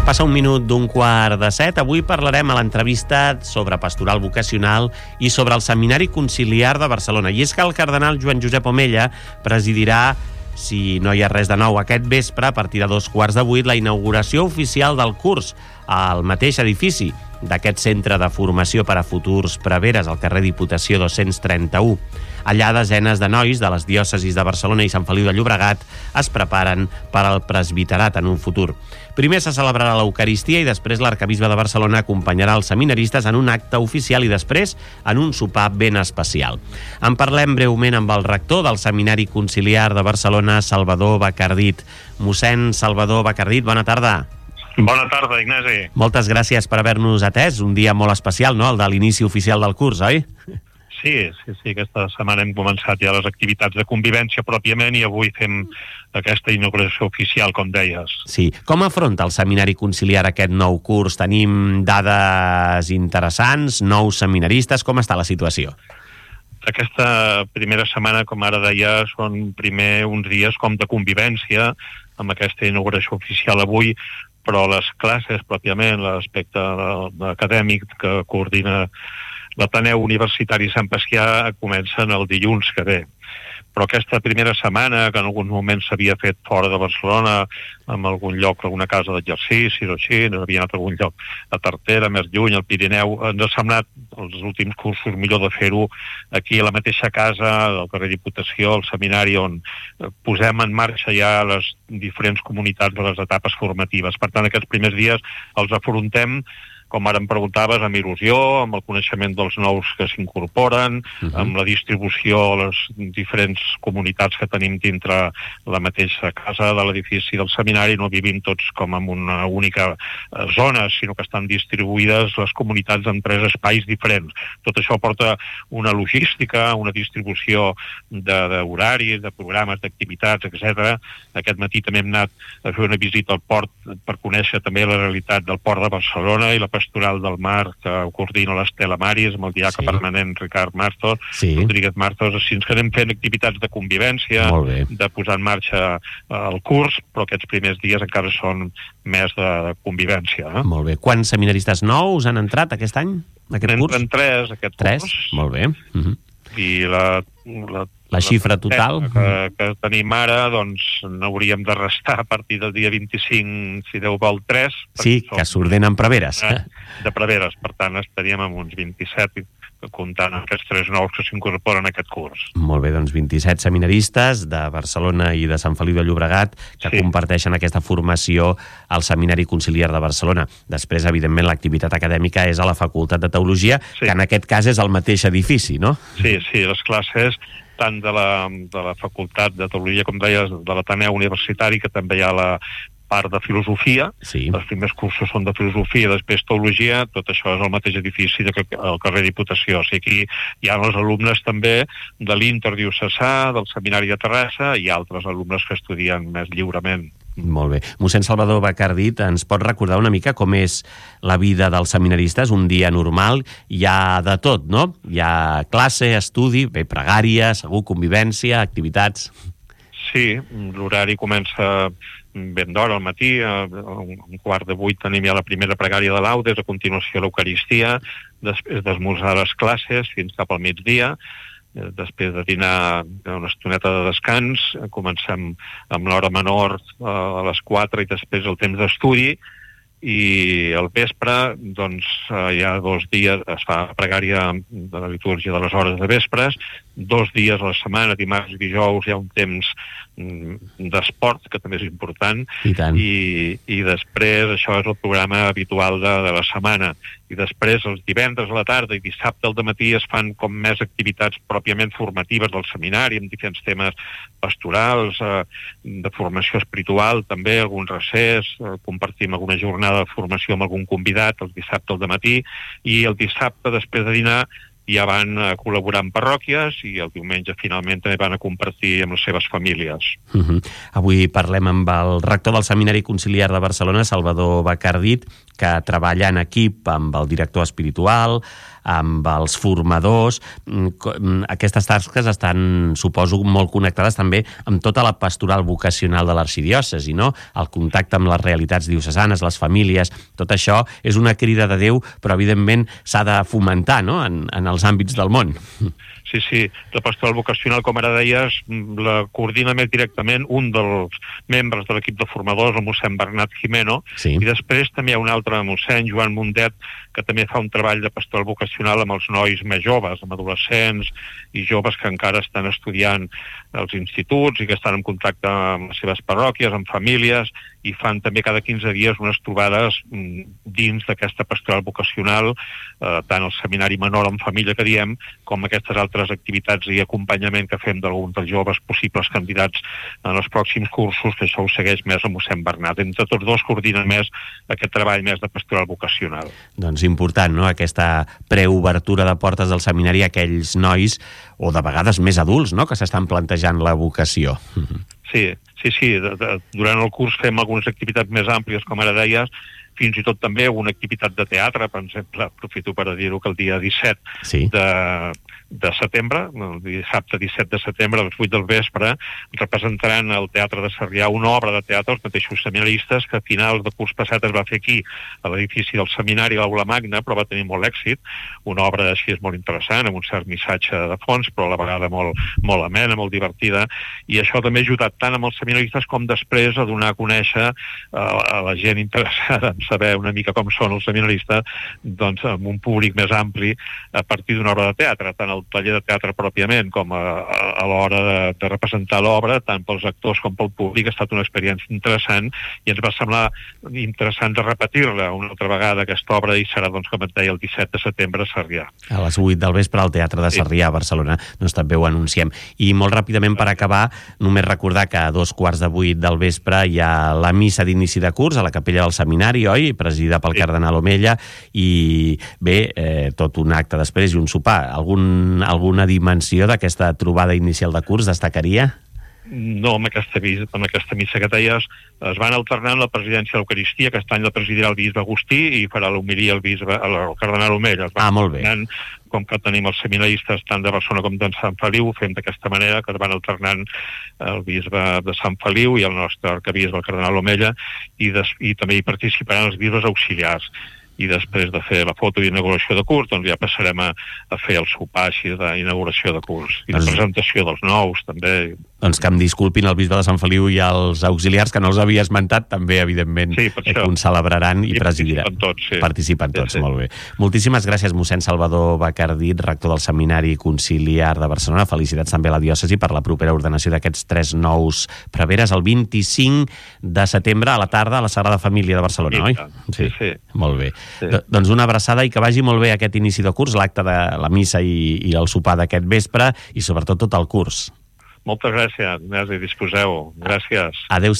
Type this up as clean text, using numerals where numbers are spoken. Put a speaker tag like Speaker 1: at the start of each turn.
Speaker 1: Passa un minut d'15:45. Avui parlarem a l'entrevista sobre pastoral vocacional i sobre el Seminari Conciliar de Barcelona. I és que el cardenal Joan Josep Omella presidirà, si no hi ha res de nou, aquest vespre, a partir de 7:15, la inauguració oficial del curs al mateix edifici d'aquest centre de formació per a futurs preveres, al carrer Diputació 231. Allà desenes de nois de les diòcesis de Barcelona i Sant Feliu de Llobregat es preparen per al presbiterat en un futur. Primer se celebrarà l'Eucaristia i després l'arcabisbe de Barcelona acompanyarà els seminaristes en un acte oficial i després en un sopar ben especial. En parlem breument amb el rector del Seminari Conciliar de Barcelona, Salvador Bacardit. Mossèn Salvador Bacardit, bona tarda.
Speaker 2: Bona tarda, Ignasi.
Speaker 1: Moltes gràcies per haver-nos atès. Un dia molt especial, no?, el de l'inici oficial del curs, oi?
Speaker 2: Sí. Aquesta setmana hem començat ja les activitats de convivència pròpiament i avui fem aquesta inauguració oficial, com deies.
Speaker 1: Sí. Com afronta el Seminari Conciliar aquest nou curs? Tenim dades interessants, nous seminaristes, com està la situació?
Speaker 2: Aquesta primera setmana, com ara deia, són primer uns dies com de convivència amb aquesta inauguració oficial avui, però les classes pròpiament, l'aspecte acadèmic que coordina l'Ateneu Universitari Sant Pacià, comencen el dilluns que ve. Però aquesta primera setmana, que en alguns moments s'havia fet fora de Barcelona, en algun lloc, alguna casa d'exercicis o així, havia anat a algun lloc a Tartera, més lluny, al Pirineu, ens ha semblat els últims cursos millor de fer-ho aquí a la mateixa casa, al carrer Diputació, al seminari, on posem en marxa ja les diferents comunitats de les etapes formatives. Per tant, aquests primers dies els afrontem, com ara em preguntaves, amb il·lusió, amb el coneixement dels nous que s'incorporen, amb la distribució a les diferents comunitats que tenim dintre la mateixa casa de l'edifici del seminari. No vivim tots com en una única zona, sinó que estan distribuïdes les comunitats en 3 espais diferents. Tot això porta una logística, una distribució d'horaris, de programes, d'activitats, etc. Aquest matí també hem anat a fer una visita al port per conèixer també la realitat del port de Barcelona i la pastoral del mar que coordina l'Estela Maris amb el diaca permanent Ricard Martos, Rodríguez Martos. Així ens anem fent activitats de convivència, de posar en marxa el curs, però aquests primers dies encara són més de convivència.
Speaker 1: Molt bé. Quants seminaristes nous han entrat aquest any, aquest curs?
Speaker 2: Entren 3 aquest curs.
Speaker 1: 3? Molt bé.
Speaker 2: I
Speaker 1: la xifra total
Speaker 2: que tenim ara, doncs n'hauríem de restar a partir del dia 25, si Déu vol, 3.
Speaker 1: Sí, que s'ordenen preveres.
Speaker 2: De preveres, per tant estaríem amb uns 27, comptant aquests 3 nous que s'incorporen a aquest curs.
Speaker 1: Molt bé, doncs 27 seminaristes de Barcelona i de Sant Feliu de Llobregat que comparteixen aquesta formació al Seminari Conciliar de Barcelona. Després, evidentment, l'activitat acadèmica és a la Facultat de Teologia, que en aquest cas és el mateix edifici, no?
Speaker 2: Sí, les classes tant de la Facultat de Teologia, com deies, de l'Ateneu Universitari, que també hi ha la part de filosofia. Els primers cursos són de filosofia, després teologia, tot això és el mateix edifici al carrer Diputació. O sigui, aquí hi ha els alumnes també de l'Interdiocesà, del Seminari de Terrassa i altres alumnes que estudien més lliurement.
Speaker 1: Molt bé. Mossèn Salvador Bacardit, ens pot recordar una mica com és la vida dels seminaristes, un dia normal? Hi ha de tot, no? Hi ha classe, estudi, pregària, segur, convivència, activitats...
Speaker 2: Sí, l'horari comença ben d'hora al matí, a un 7:15 tenim ja la primera pregària de laudes, a continuació l'Eucaristia, després d'esmorzar les classes fins cap al migdia, després de dinar una estoneta de descans, comencem amb l'hora menor a les 4 i després el temps d'estudi, i al vespre doncs hi ha 2 dies, es fa pregària de la litúrgia de les hores de vespres, 2 dies a la setmana, dimarts i dijous hi ha un temps d'esport, que també és important, i després això és el programa habitual de la setmana, i després els divendres a la tarda i dissabte al dematí es fan com més activitats pròpiament formatives del seminari, amb diferents temes pastorals, de formació espiritual també, algun recés, compartim alguna jornada de formació amb algun convidat el dissabte al dematí, i el dissabte després de dinar ja van a col·laborar amb parròquies i el diumenge finalment també van a compartir amb les seves famílies.
Speaker 1: Avui parlem amb el rector del Seminari Conciliar de Barcelona, Salvador Bacardit, que treballa en equip amb el director espiritual, amb els formadors. Aquestes tasques estan, suposo, molt connectades també amb tota la pastoral vocacional de l'arxidiòcesi, no? El contacte amb les realitats diocesanes, les famílies, tot això és una crida de Déu, però evidentment s'ha de fomentar, no?, en els àmbits del món.
Speaker 2: Sí. La pastoral vocacional, com ara deies, la coordina més directament un dels membres de l'equip de formadors, el mossèn Bernat Jimeno, sí. I després també hi ha un altre mossèn, Joan Mundet, que també fa un treball de pastoral vocacional amb els nois més joves, amb adolescents i joves que encara estan estudiant als instituts i que estan en contacte amb les seves parròquies, amb famílies, i fan també cada 15 dies unes trobades dins d'aquesta pastoral vocacional, tant el seminari menor en família que diem, com aquestes altres activitats i acompanyament que fem d'alguns dels joves possibles candidats en els pròxims cursos, que això ho segueix més el mossèn Bernat. Entre tots dos coordinen més aquest treball més de pastoral vocacional.
Speaker 1: Doncs important, no?, aquesta preobertura de portes del seminari a aquells nois, o de vegades més adults, no?, que s'estan plantejant la vocació.
Speaker 2: Sí. Durant el curs fem algunes activitats més àmplies, com ara deies, fins i tot també una activitat de teatre, per exemple, aprofito per dir-ho, que el dia 17 de setembre, el dissabte 17 de setembre, a les 8 del vespre, representaran al Teatre de Sarrià una obra de teatre, els mateixos seminaristes, que a finals de curs passat es va fer aquí, a l'edifici del seminari, a l'Aula Magna, però va tenir molt èxit, una obra així és molt interessant, amb un cert missatge de fons, però a la vegada molt amena, molt divertida, i això també ha ajudat tant amb els seminaristes com després a donar a conèixer a la gent interessada en saber una mica com són els seminaristes, doncs amb un públic més ampli a partir d'una obra de teatre, tant el taller de teatre pròpiament com a l'hora de representar l'obra, tant pels actors com pel públic. Ha estat una experiència interessant i ens va semblar interessant de repetir-la una altra vegada, aquesta obra, i serà, doncs, com et deia, el 17 de setembre a Sarrià.
Speaker 1: A les 8 del vespre al Teatre de Sarrià, a Barcelona. Doncs també ho anunciem. I molt ràpidament, per acabar, només recordar que a 7:15 del vespre hi ha la missa d'inici de curs a la capella del seminari, oi? Presidida pel cardenal Omella, i bé, tot un acte després i un sopar. Alguna dimensió d'aquesta trobada inicial de curs destacaria?
Speaker 2: No, amb aquesta missa que deies es van alternant la presidència de l'Eucaristia, que aquest any la presidirà el bisbe Agustí i farà l'homilia el cardenal Omella.
Speaker 1: Molt bé.
Speaker 2: Com que tenim els seminaristes tant de Barcelona com de Sant Feliu, ho fem d'aquesta manera, que es van alternant el bisbe de Sant Feliu i el nostre arcabisbe, el cardenal Omella, i també hi participaran els bisbes auxiliars. I després de fer la foto d'inauguració de curs, doncs ja passarem a fer el sopar així d'inauguració de curs i de presentació dels nous, també.
Speaker 1: Doncs que em disculpin el bisbe de Sant Feliu i els auxiliars, que no els havia esmentat, també, evidentment, que ho celebraran i presidiran. Participen tots, molt bé. Moltíssimes gràcies, mossèn Salvador Bacardit, rector del Seminari Conciliar de Barcelona. Felicitats també a la diòcesi per la propera ordenació d'aquests 3 nous preveres el 25 de setembre a la tarda a la Sagrada Família de Barcelona, oi?
Speaker 2: Sí.
Speaker 1: Molt bé. Sí. Doncs una abraçada i que vagi molt bé aquest inici de curs, l'acte de la missa i el sopar d'aquest vespre, i sobretot tot el curs.
Speaker 2: Moltes gràcies, Ignasi, disposeu. Gràcies.
Speaker 1: Adéu.